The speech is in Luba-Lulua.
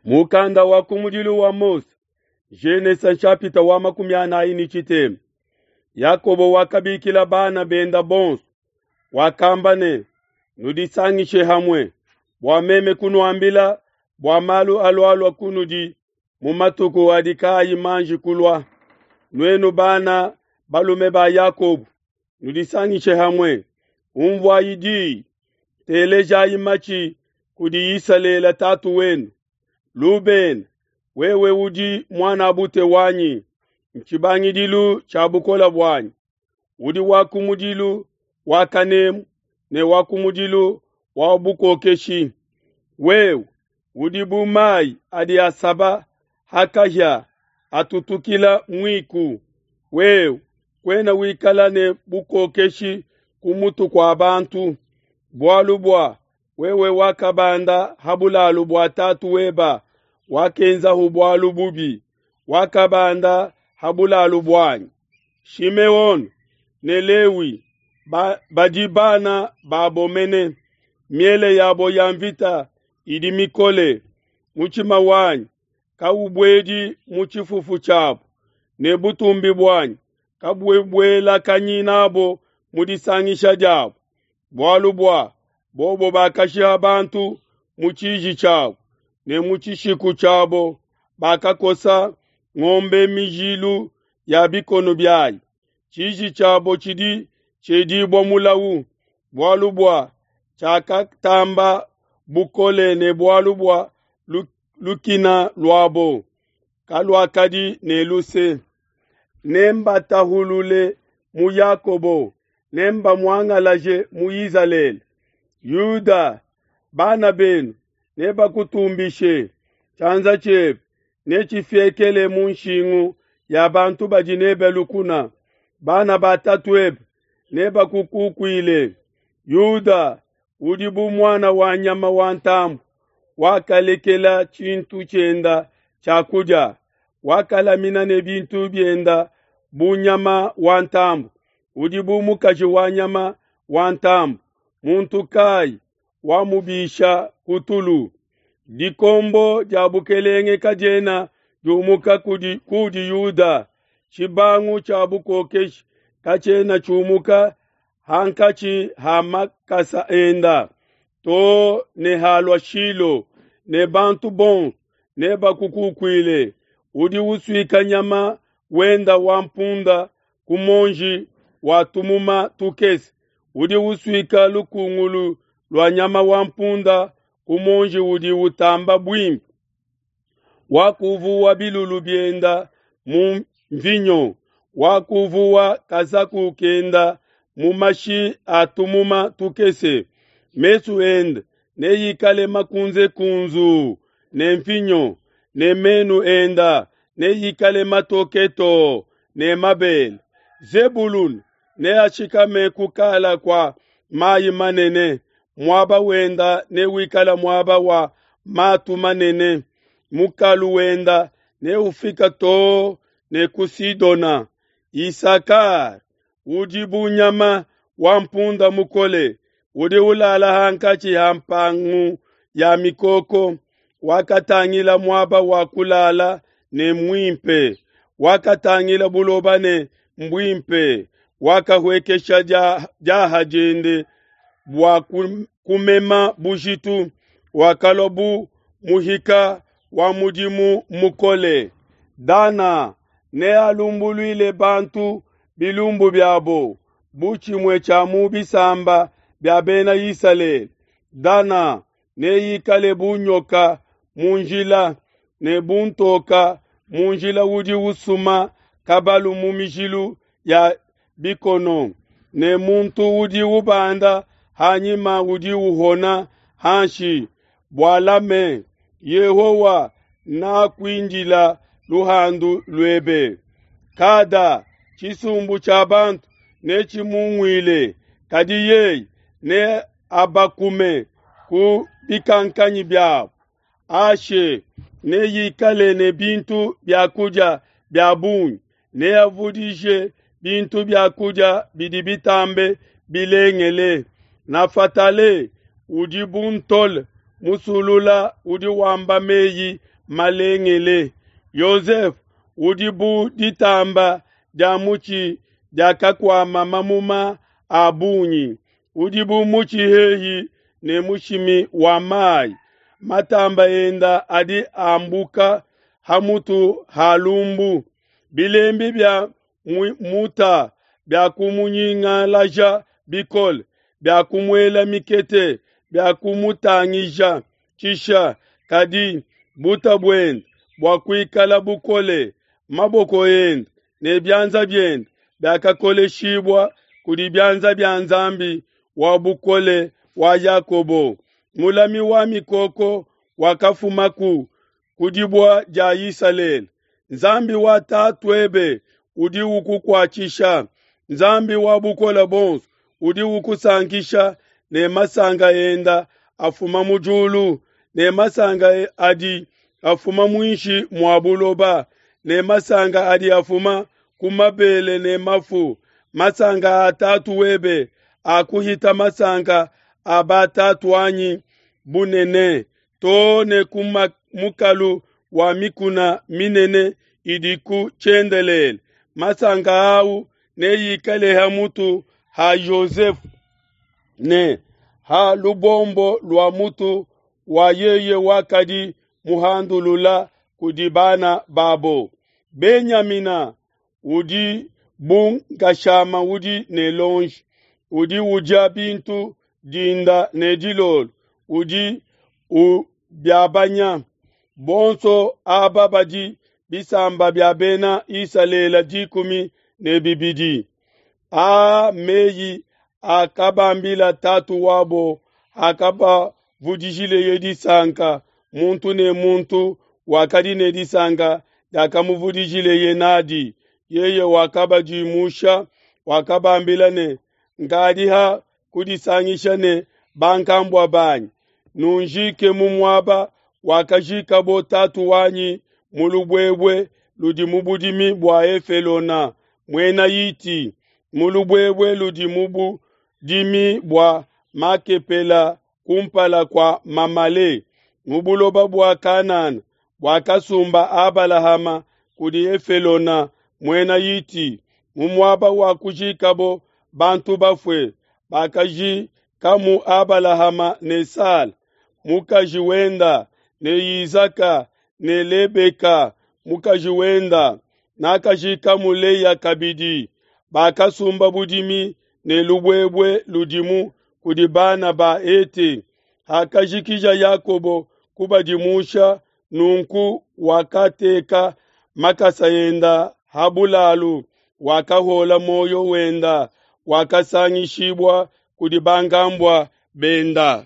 Mukanda wa kumudilu wa Mose, Genese nshapita wa 43. Yakobo wakabikila bana benda bonso, wakamba ne, nudisangishe hamue bua meme kunuambila bua malu alualua kunudi mu matuku adi kaayi manji kulua. Nuenu bana balume ba Yakobo, nudisangishe hamue, umvuayi diyi, telejayi matshi kudi Isalele tatu wenu. Lubena, wewe udi muanabute wanyi, ntshibangidilu tshia bukole buanyi. Udi wa kumudilu wa kanemu ne wa kumudilu wa bukokeshi. Wewe udi bu mayi adi asaba ha kahia atutukila muiku. Wewe kuena wikala ne bukokeshi ku mutu kua bantu, bualu bua wewe wakabanda ha bulalu bua tatu weba, wakenzahu bualu bubi, wakabanda ha bulalu buanyi. Shimeone ne Lewi badi bana babo mene, miele yabo ya mvita idi mikole. Mutshima wanyi kaubuedi mu tshifufu tshiabo, ne butumbi buanyi kabubuelakanyi nabo mu disangisha diabo, bualu bua bobo bakashiha bantu mu tshiji tshiabo, ne mu tshishiku tshiabo bakakosa ngombe mijilu ya bikono biayi. Tshiji tshiabo tshidi tshiedibua mulawu, bualu bua tshiakatamba bukole ne bualu bua lukina luabo kaluakadi ne luse. Nembatahulule mu Yakobo, nembamuangalaje mu Izalele. Yuda, bana benu nebakutumbishe, tshianza tshiebe netshifiekele mu nshingu ya bantu badi nebe lukuna. Bana ba tatuebe nebakukukuile. Yuda udi bu muana wa nyama wa ntambue, wakalekela tshintu tshienda tshia kudia, wakalamina ne bintu bienda bu nyama wa ntambue. Udi bu mukaji wa nyama wa ntambue, muntu kayi wamubisha ku tulu. Dikombo dia bukelenge kadiena diumuka kudi Yuda, tshibangu tshia bukokeshi katshiena tshiumuka hankatshi ha makasa enda, to ne halua Shilo, ne bantu bonso nebakukukuile. Udi usuika nyama wenda wa mpunda ku monji wa tumuma tukese, udi usuika lukungulu lua nyama wa mpunda ku monji udi utamba buimpe. Wakuvuwa bilulu bienda mu mvinyo, wakuvuwa kazaku kenda mu mashi a tumuma tukese. Mesu ende neikale makunze kunzu ne mvinyo, ne menu enda neikale matoke too ne mabele. Zebulun neashikame kukala kua mayi manene, muaba wenda newikale muaba wa matu manene. Mukalu wenda neufika too ne ku Sidona. Isakar udi bu nyama wa mpunda mukole, udi ulala hankatshi ha mpangu ya mikoko. Wakatangila muaba wa kulala ne muimpe, wakatangila buloba ne mbuimpe, wakahuekesha diaha diende bua kumema bujitu, wakalua bu muhika wa mudimu mukole. Dana nealumbuluile bantu bilumbu biabo bu tshimue tshia mu bisamba bia bena Isalele. Dana neikale bu nyoka mu njila, ne bu ntoka mu njila udi usuma kabalu mu mijilu ya bikono, ne muntu udi ubanda hanyima udi uhona hanshi. Bualame, Yehowa nakuindila luhandu luebe. Kada tshisumbu tshia bantu netshimunguile, kadi yeye ne abakume ku bikankanyi biabo. Ashe neikale ne bintu bia kudia bia bungi, neavudije bintu bia kudia bidi bitambe bilengele. Nafatale udi bu ntole musulula udi wamba meyi malengele. Yosefe udi bu ditamba dia mutshi diakakuama mamuma a bungi, udi bu mutshi hehi ne mushimi wa mai. Matamba enda adi ambuka ha mutu ha lumbu. Bilembi bia muta biakumunyingalaja bikole, biakumuela mikete, biakumutangija tshisha. Kadi buta buende buakuikala bukole, maboko ende ne bianza biende biakakoleshibua kudi bianza bia Nzambi wa bukole wa Yakobo. Mulami wa mikoko wakafumaku ku dibua dia Isalele. Nzambi wa tatuebe udi ukukuatshisha, Nzambi wa bukole buonso udi ukusankisha ne masanka enda afuma mu diulu, ne masanka adi afuma muinshi mua buloba, ne masanka adi afuma ku mabele ne mafu. Masanka a tatu webe akuhita masanka a batatuanyi bunene, too ne ku mukalu wa mikuna minene idi ku tshiendelele. Masanka au neikale ha mutu ha Yosefe ne ha lubombo lua mutu wa yeye wakadi muhandulula kudi bana babo. Benyamina udi bu nkashama udi ne lonji, udi udia bintu dinda ne dilolo, udi ubiabanya. Bonso aba badi bisamba bia bena Isalele 12. Aa meyi akabambila tatu wabo akabavudijileye disanka, muntu ne muntu wakadi ne disanka diakamuvudijileye nadi. Yeye wakabadimusha, wakabambila ne, nkadi ha kudisangisha ne bankambua banyi, nunjike mu muaba wakajikabo tatu wanyi mu lubuebue ludi mu budimi bua Efelona muena Hiti, mu lubuebue ludi mu budimi bua Makepela kumpala kua Mamale, mu buloba bua Kanana buakasumba Abalahama kudi Efelona muena Hiti, mu muaba wa kujikabo bantu bafue. Bakajikamu Abalahama ne Sala mukaji wenda, ne Isaka ne Lebeka mukaji wenda. Nakajikamu Leya kabidi. Bakasumba budimi ne lubuebue ludimu kudi bana ba Hete. Hakajikija Yakobo kubadimusha, nunku wakateka makasa enda ha bulalu, wakahola muoyo wenda, wakasangishibua kudi bankambua benda.